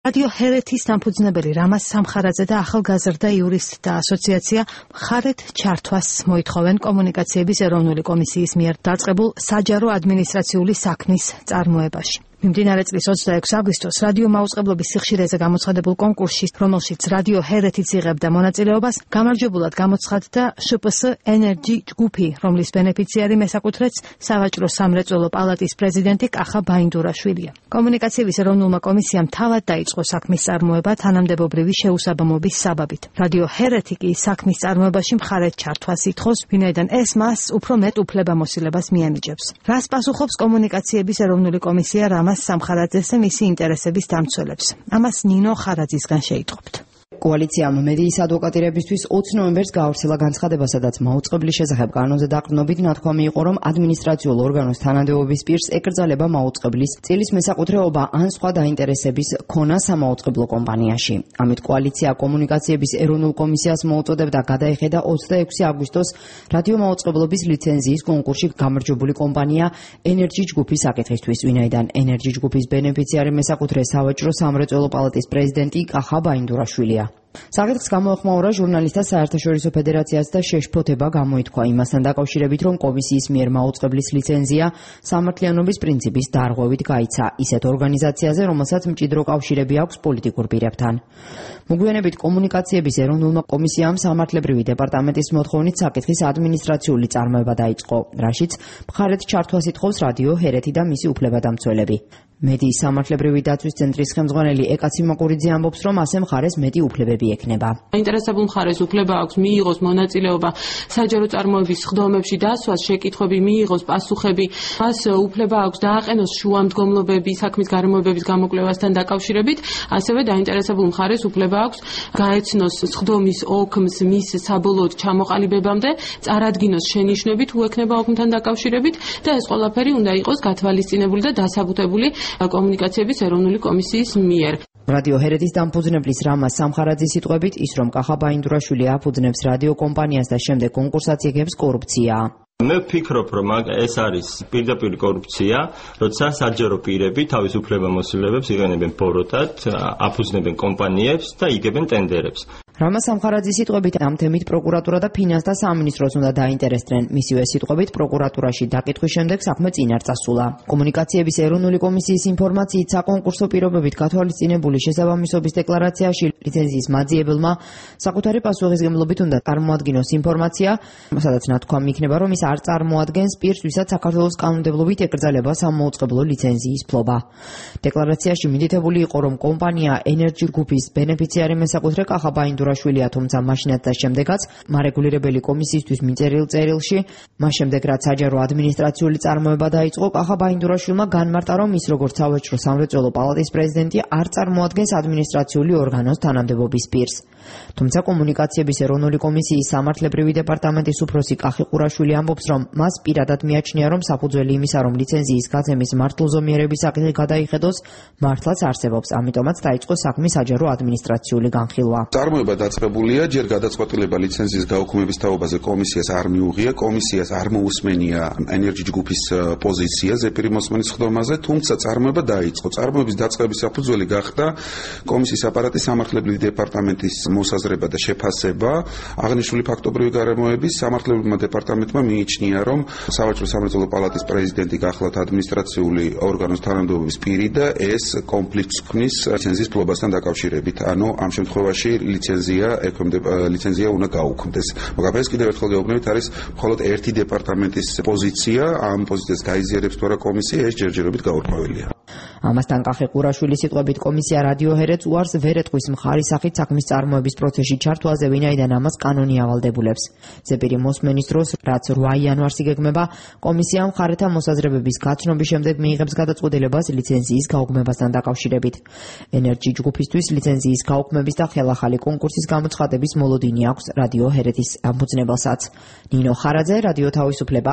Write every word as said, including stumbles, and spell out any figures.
რადიო ჰერეთის დამფუძნებელი რამაზ სამხარაძე და ახალგაზრდა იურისტთა ასოციაცია მხარეთ ჩართვას მოითხოვენ კომუნიკაციების ეროვნული კომისიის მიერ დაწყებულ საჯარო ადმინისტრაციული საქმის წარმოებაში. მიმდინარე წლის ოცდაექვსი აგვისტოს რადიო მაუწყებლობის სიხშირეზე გამოცხადებულ კონკურსში, რომელშიც რადიო ჰერეთიც იღებდა მონაწილეობას, გამარჯვებულად გამოცხადდა შპს ენერჯი ჯგუფი, რომლის ბენეფიციარი მესაკუთრეც სავაჭრო სამრეწველო პალატის პრეზიდენტი კახა ბაინდურაშვილია. კომუნიკაციების ეროვნულმა კომისიამ თავად დაიწყო საქმის წარმოება თანამდებობრივი შეუსაბამობის საბაბით. რადიო ჰერეთი კი საქმის წარმოებაში მხარეთ ჩართვას ითხოვს, ვინაიდან ეს მას უფრო მეტ უფლებამოსილებას მიანიჭებს. რას პასუხობს კომუნიკაციების ეროვნული კომისია რამაზ სამხარაძეს და მისი ინტერესების დამცველებს? ამას ნინო ხარაძისგან შეიტყობთ. კოალიციამ მედიის ადვოკატირებისთვის ოცი ნოემბერს გაავრცელა განცხადება, სადაც მაუწყებლის შესახებ კანონზე დაყრდნობით ნათქვამი იყო, რომ ადმინისტრაციულ ორგანოს თანამდებობის პირს ეკრძალება მაუწყებლის წილის მესაკუთრეობა ან სხვა დაინტერესების ქონა სამაუწყებლო კომპანიაში. ამით კოალიცია კომუნიკაციების ეროვნულ კომისიას მოუწოდებდა გადაეხედა ოცდაექვსი აგვისტოს რადიო მაუწყებლობის ლიცენზიის კონკურსში გამარჯვებული კომპანია ენერჯი ჯგუფის საკითხისთვის, ვინაიდან ენერჯი ჯგუფის ბენეფიციარი მესაკუთრე სავაჭრო სამრეწველო პალატის პრეზიდენტი კახა ბაინდურაშვილია. საკითხს გამოეხმაურა ჟურნალისტთა საერთაშორისო ფედერაციას და შეშფოთება გამოითქვა იმასთან დაკავშირებით, რომ კომისიის მიერ მაუწყებლის ლიცენზია სამართლიანობის პრინციპის დარღვევით გაიცა ისეთ ორგანიზაციაზე, რომელსაც მჭიდრო კავშირები აქვს პოლიტიკურ პირებთან. მოგვიანებით კომუნიკაციების ეროვნულმა კომისიამ სამართლებრივი დეპარტამენტის მოთხოვნით საკითხის ადმინისტრაციული წარმოება დაიწყო, რაშიც მხარეთ ჩართვას ითხოვს რადიო ჰერეთი და მისი უფლებადამცველები. მედიის სამართლებრივი დაცვის ცენტრის ხელმძღვანელი ეკაცი მაკურიძე ამბობს, რომ ასე მხარეს მეტი უფლებები ექნება. აინტერესებულ მხარეს უფლება აქვს მიიღოს მონაწილეობა საჯარო წარმოების სხდომებში დასვას, შეკითხვები მიიღოს, პასუხები, მას უფლება აქვს დააყენოს შუამდგომლობები საქმის გარემოებების გამოკვლევასთან დაკავშირებით, ასევე დაინტერესებულ მხარეს უფლება აქვს გაეცნოს სხდომის ოქმს მის საბოლოოდ ჩამოყალიბებამდე, წარადგინოს შენიშვნები თუ ექნება ოქმთან დაკავშირებით და ეს ყველაფერი უნდა იყოს გათვალისწინებული და დასაბუთებული კომუნიკაციების ეროვნული კომისიის მიერ. რადიო ჰერეთის დამფუძნებლის რამაზ სამხარაძის სიტყვებით, ის რომ კახა ბაინდურაშვილი აფუძნებს რადიო კომპანიას და შემდეგ კონკურსაც იღებს, კორუფციაა. მე ვფიქრობ, რომ ეს არის პირდაპირ კორუფცია, როცა საჯარო პირები თავის უფლებამოსილებებს იყენებენ ბოროტად, აფუძნებენ კომპანიებს და იგებენ ტენდერებს. რამაზ სამხარაძის სიტყვებით ამ თემით პროკურატურა და ფინანსთა სამინისტროს უნდა დაინტერესდნენ. მისივე სიტყვებით პროკურატურაში დაკითხვის შემდეგ საქმე წინ არ წასულა. კომუნიკაციების ეროვნული კომისიის ინფორმაციით საკონკურსო პირობებით გათვალისწინებული შესაბამისობის დეკლარაციაში ლიცენზიის მაძიებელმა საკუთარი პასუხისმგებლობით უნდა წარმოადგინოს ინფორმაცია, სადაც ნათქვამი იქნება, რომ ის არ წარმოადგენს პირს, ვისაც საქართველოს კანონმდებლობით ეკრძალება სამაუწყებლო ლიცენზიის ფლობა. დეკლარაციაში მითითებული იყო, რომ კომპანია ენერჯი ჯგუფის ბენეფიციარი მესაკუთრე კახა ბაინდურაშვილია, თუმცა მაშინაც და შემდეგაც მარეგულირებელი კომისიისთვის მიწერილ წერილში, მას შემდეგ რაც საჯარო ადმინისტრაციული წარმოება დაიწყო, კახა ბაინდურაშვილმა განმარტა, რომ ის როგორც სავაჭრო სამრეწველო პალატის პრეზიდენტი არ წარმოადგენს ადმინისტრაციული ორგანოს თანამდებობის პირს. თუმცა კომუნიკაციების ეროვნული კომისიის სამართლებრივი დეპარტამენტის უფროსი კახი ყურაშვილი ამბობს, რომ მას პირადად მიაჩნია, რომ საფუძველი იმისა, რომ ლიცენზიის გაცემის მართლზომიერების საკითხი გადაიხედოს, მართლაც არსებობს, ამიტომაც დაიწყო საქმის საჯარო ადმინისტრაციული განხილვა. წარმოება დაწყებულია, ჯერ გადაწყვეტილება ლიცენზიის გაუქმების თაობაზე კომისიას არ მიუღია, კომისიას არ მოусმენია ენერჯი ჯგუფის პოზიცია ზეპირი მოსმენის სხდომაზე, თუმცა წარმოება დაიწყო. წარმოების დაწყების საფუძველი გახდა კომისიის აპარატის სამართლებრივი დეპარტამენტის მოსაზრება და შეფასება. აღნიშნული ფაქტობრივი გარემოების სამართლებრივმა დეპარტამენტმა მიიჩნია, რომ სავაჭრო სამრეწველო პალატის პრეზიდენტი გახლავთ ადმინისტრაციული ორგანოს თანამდებობის პირი და ეს კონფლიქტს ქმნის ლიცენზიის ფლობასთან დაკავშირებით. ანუ ამ შემთხვევაში ლიცენზია ექვემდებარება ლიცენზია უნდა გაუქმდეს. მაგრამ ეს კიდევ ერთხელ გეუბნებით, არის მხოლოდ ერთი დეპარტამენტის პოზიცია, ამ პოზიციას გაიზიარებს თუ არა კომისია, ეს ჯერჯერობით გაურკვეველია. ამასთან კახი ყურაშვილის სიტყვებით კომისია რადიო ჰერეთს უარს ვერ ეტყვის მხარის სახით საქმის წარმოების პროცესში ჩართვაზე, ვინაიდან ამას კანონი ავალდებულებს. ზეპირი მოსმენის დროს, რაც რვა იანვარს იგეგმება, კომისია მხარეთა მოსაზრებების გაცნობის შემდეგ მიიღებს გადაწყვეტილებას ლიცენზიის გაუქმებასთან დაკავშირებით. ენერჯი ჯგუფისთვის ლიცენზიის გაუქმების და ხელახალი კონკურსის გამოცხადების მოლოდინი აქვს რადიო ჰერეთის დამფუძნებელსაც. ნინო ხარაძე, რადიო თავისუფლება.